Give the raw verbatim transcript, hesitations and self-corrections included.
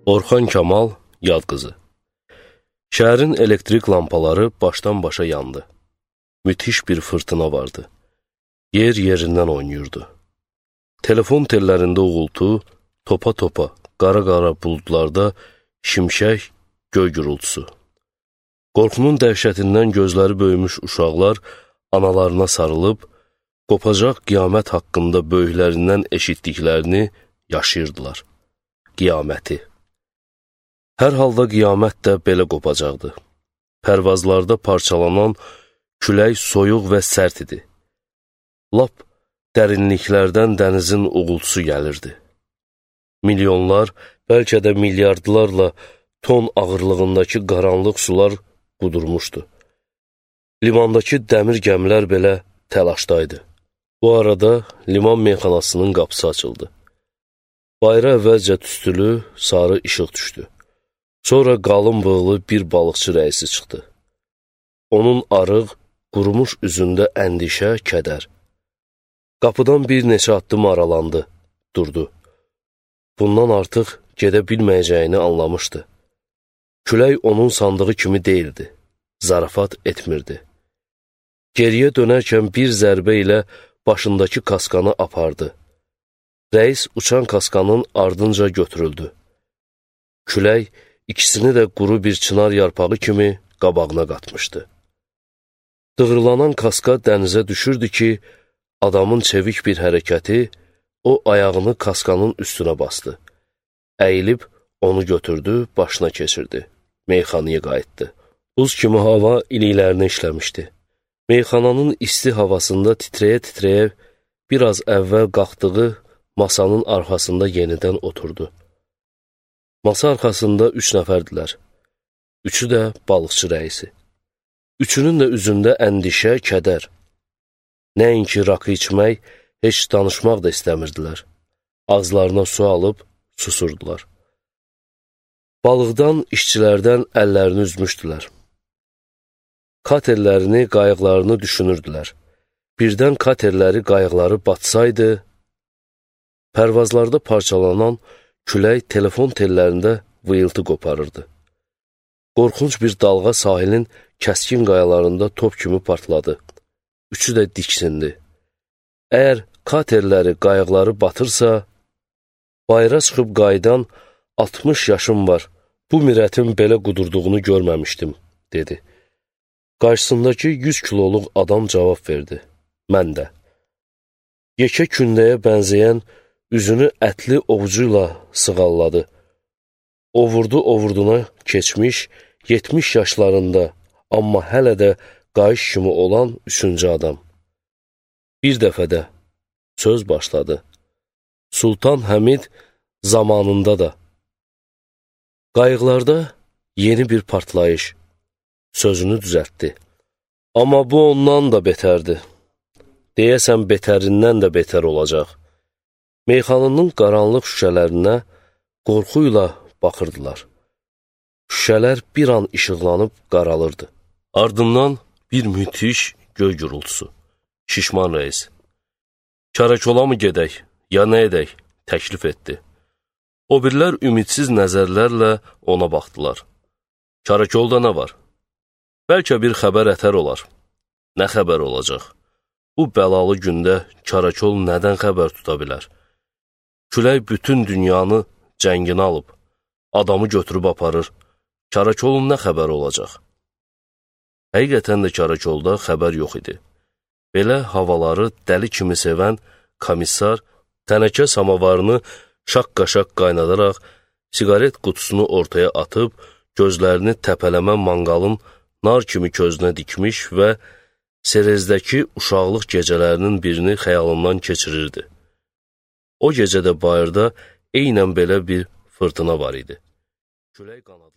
Orxan Kamal, yad qızı. Şəhərin elektrik lampaları başdan başa yandı. Müthiş bir fırtına vardı. Yer yerindən oynayırdı. Telefon tellərində uğultu, topa-topa, qara-qara buludlarda şimşək, göy gürültüsü. Qorxunun dəhşətindən gözləri böyümüş uşaqlar analarına sarılıb, qopacaq qiyamət haqqında böyüklərindən eşitdiklərini yaşayırdılar. Qiyaməti. Hər halda qiyamət də belə qopacaqdı. Pərvazlarda parçalanan külək soyuq və sərt idi. Lap dərinliklərdən dənizin uğultusu gəlirdi. Milyonlar, bəlkə də milyardlarla ton ağırlığındakı qaranlıq sular qudurmuşdu. Limandakı dəmir gəmilər belə təlaşdaydı. Bu arada liman meyxanasının qapısı açıldı. Bayra əvvəlcə tüstülü, sarı işıq düşdü. Sonra qalın bığlı bir balıqçı rəisi çıxdı. Onun arıq, qurumuş üzündə əndişə, kədər. Qapıdan bir neçə addım aralandı, durdu. Bundan artıq gedə bilməyəcəyini anlamışdı. Külək onun sandığı kimi deyildi, zarafat etmirdi. Geriyə dönərkən bir zərbə ilə başındakı kaskanı apardı. Rəis uçan kaskanın ardınca götürüldü. Külək ikisini də quru bir çınar yarpağı kimi qabağına qatmışdı. Dığırlanan kaska dənizə düşürdü ki, adamın çevik bir hərəkəti o ayağını kaskanın üstünə bastı. Əyilib onu götürdü, başına keçirdi. Meyxanaya qayıtdı. Buz kimi hava iliklərini işləmişdi. Meyxananın isti havasında titrəyə-titrəyə biraz əvvəl qalxdığı masanın arxasında yenidən oturdu. Masa arxasında üç nəfərdilər. Üçü də balıqçı rəisi. Üçünün də üzündə əndişə, kədər. Nəinki rakı içmək, heç danışmaq da istəmirdilər. Ağızlarına su alıb susurdular. Balıqdan, işçilərdən əllərini üzmüşdülər. Katerlərini, qayıqlarını düşünürdülər. Birdən katerləri, qayıqları batsaydı, pərvazlarda parçalanan külək telefon tellərində vıyıltı qoparırdı. Qorxunc bir dalğa sahilin kəskin qayalarında top kimi partladı. Üçü də diksindi. Əgər katerləri, qayıqları batırsa, bayra çıxıb qayıdan altmış yaşım var, bu mirətin belə qudurduğunu görməmişdim, dedi. Qarşısındakı yüz kiloluq adam cavab verdi. Mən də. Yekə kündəyə bənzəyən üzünü ətli ovucuyla sığalladı. Ovurdu-ovurduna keçmiş, yetmiş yaşlarında, amma hələ də qayış kimi olan üçüncü adam. Bir dəfə də söz başladı. Sultan Həmid zamanında da. Qayıqlarda yeni bir partlayış. Sözünü düzəltdi. Amma bu ondan da betərdi. Deyəsən betərindən də betər olacaq. Meyxanının qaranlıq şüşələrinə qorxuyla baxırdılar. Şüşələr bir an işıqlanıb qaralırdı. Ardından bir müthiş göy gürültüsü. Şişman rəis. Karakola mı gedək, ya nə edək, təklif etdi. O birlər ümidsiz nəzərlərlə ona baxdılar. Karakolda nə var? Bəlkə bir xəbər ətər olar. Nə xəbər olacaq? Bu bəlalı gündə karakol nədən xəbər tuta bilər? Külək bütün dünyanı cənginə alıb, adamı götürüb aparır. Karakolun nə xəbər olacaq? Həqiqətən də karakolda xəbər yox idi. Belə havaları dəli kimi sevən komissar tənəkə samavarını şaqqa-şaq qaynadaraq, siqaret qutusunu ortaya atıb, gözlərini təpələmə manqalın nar kimi közünə dikmiş və Serezdəki uşaqlıq gecələrinin birini xəyalından keçirirdi. O gecədə bayırda eynən belə bir fırtına var idi. Külək qanadı.